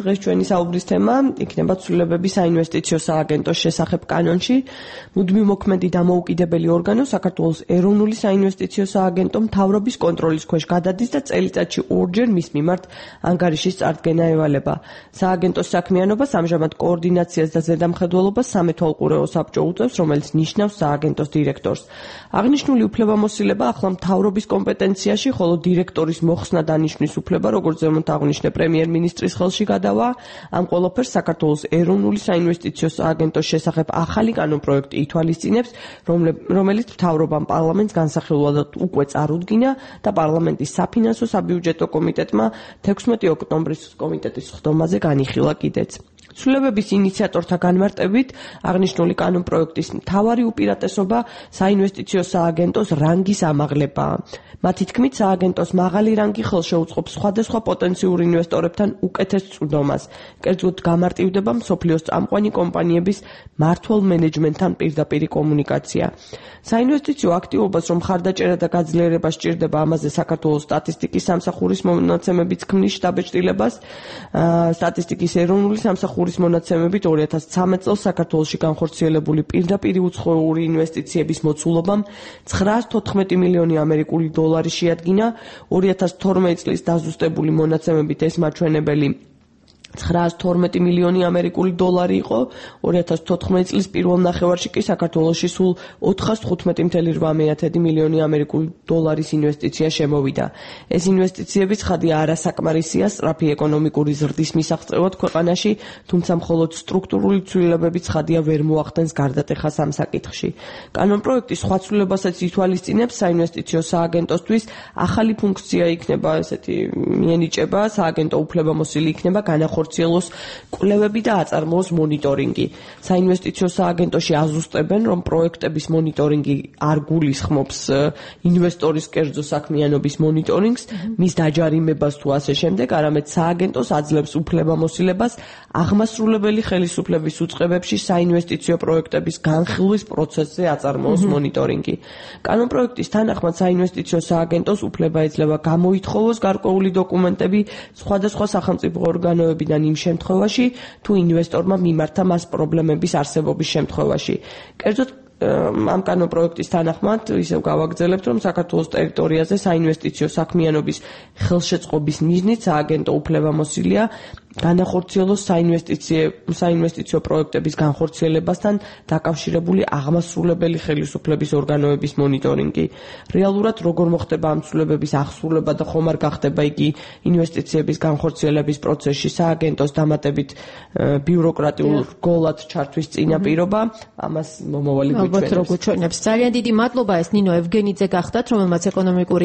დღეს ჩვენი საუბრის თემა იქნება ცვლილებები საინვესტიციო სააგენტოს შესახებ კანონში. მუდმივ მოქმედი დამოუკიდებელი ორგანო საქართველოს ეროვნული საინვესტიციო სააგენტო მთავრობის კონტროლის ქვეშ გადადის და წელიწადში ორჯერ მის მიმართ ანგარიშის წარდგენა ევალება. სააგენტოს საქმიანობას ამჟამად კოორდინაციას და ზედამხედველობას სამეთვალყურეო საბჭო უწევს, რომელიც ნიშნავს სააგენტოს დირექტორს. აღნიშნული უფლებამოსილება ახლა მთავრობის კომპეტენციაში, ხოლო დირექტორის მოხსნა დანიშნვის უფლება, როგორც ზემოთ აღნიშნე პრემიერ-მინისტრის ხელში გადავა. ამ ყველაფერს საქართველოს ეროვნული საინვესტიციო სააგენტოს შესახებ ახალი კანონპროექტი ითვალისწინებს, რომელიც მთავრობამ პარლამენტს განსახილველად უკვე წარუდგინა და პარლამენტის საფინანსო საბიუჯეტო კომიტეტმა 16 ოქტომბრის კომიტეტის სხდომაზე განიხილა კიდეც. ცვლილებების ინიციატორთა განმარტებით აღნიშნული კანონპროექტის მთავარი უპირატესობა საინვესტიციო სააგენტოს რანგის ამაღლებაა. მათი თქმით, სააგენტოს მაღალი რანგი ხელშეუწყობს სხვადასხვა პოტენციურ ინვესტორებთან უკეთეს წვდომას. კერძოდ გამარტივდება მსოფლიოს წამყვანი კომპანიების მმართველ მენეჯმენტთან პირდაპირი კომუნიკაცია. საინვესტიციო აქტივობას რომ მხარდაჭერა და გაძლიერება სჭირდება, ამაზე საქართველოს სტატისტიკის სამსახურის მონაცემებით ქმნის შტაბ-ჭრილებას. სტატისტიკის ეროვნული სამსახურის მონაცემებით 2013 წელს საქართველოში განხორციელებული პირდაპირი უცხოური ინვესტიციების მოცულობამ 914 მილიონი ამერიკული დოლარი შეადგინა. 2012 წლის დაზუსტებული მონაცემებით ეს მაჩვენებელი 912 მილიონი ამერიკული დოლარი იყო. 2014 წლის პირველ ნახევარში კი საქართველოში სულ 415,8 მილიონი ამერიკული დოლარის ინვესტიცია შემოვიდა. ეს ინვესტიციები ცხადია არასაკმარისია სწრაფი ეკონომიკური ზრდის მისაღწევად ქვეყანაში, თუმცა მხოლოდ სტრუქტურული ცვლილებები ცხადია ვერ მოახდენს გარდატეხას ამ საკითხში. კანონპროექტი სხვა ცვლილებასაც ითვალისწინებს. საინვესტიციო სააგენტოსთვის ახალი ფუნქცია იქნება მიენიჭება, სააგენტო უფლებამოსილი იქნება განახორციელოს კვლევები და აწარმოოს მონიტორინგი. საინვესტიციო სააგენტოში აზუსტებენ, რომ პროექტების მონიტორინგი არ გულისხმობს ინვესტორის კერძო საქმიანობის მონიტორინგს, მის დაჯარიმებას თუ ასე შემდეგ, არამედ სააგენტოს აძლევს უფლებამოსილებას აღმასრულებელი ხელისუფლების უწყებებში საინვესტიციო პროექტების განხილვის პროცესზე აწარმოოს მონიტორინგი. კანონპროექტის თანახმად საინვესტიციო სააგენტოს უფლება ეძლევა გამოითხოვოს გარკვეული დოკუმენტები სხვადასხვა სახელმწიფო ორგანოებიდან იმ შემთხვევაში, თუ ინვესტორმა მიმართა მას პრობლემების არსებობის შემთხვევაში. კერძოდ ამ კანონპროექტის თანახმად ისევ გავაგრძელებთ, რომ საქართველოს ტერიტორიაზე საინვესტიციო საქმიანობის ხელშეწყობის მიზნით სააგენტო უფლებამოსილია განახორციელოს საინვესტიციო პროექტების განხორციელებასთან დაკავშირებული აღმასრულებელი ხელისუფლების ორგანოების მონიტორინგი. რეალურად როგორ მოხდება ამ ცვლილებების აღსრულება და ხომ არ გახდება იგი ინვესტიციების განხორციელების პროცესში სააგენტოს დამატებით ბიუროკრატიულ რგოლად ჩართვის წინაპირობა, ამას მომავალი გვიჩვენებს. ძალიან დიდი მადლობა, ეს ნინო ევგენიძე გახდათ, რომელმაც ეკონომიკური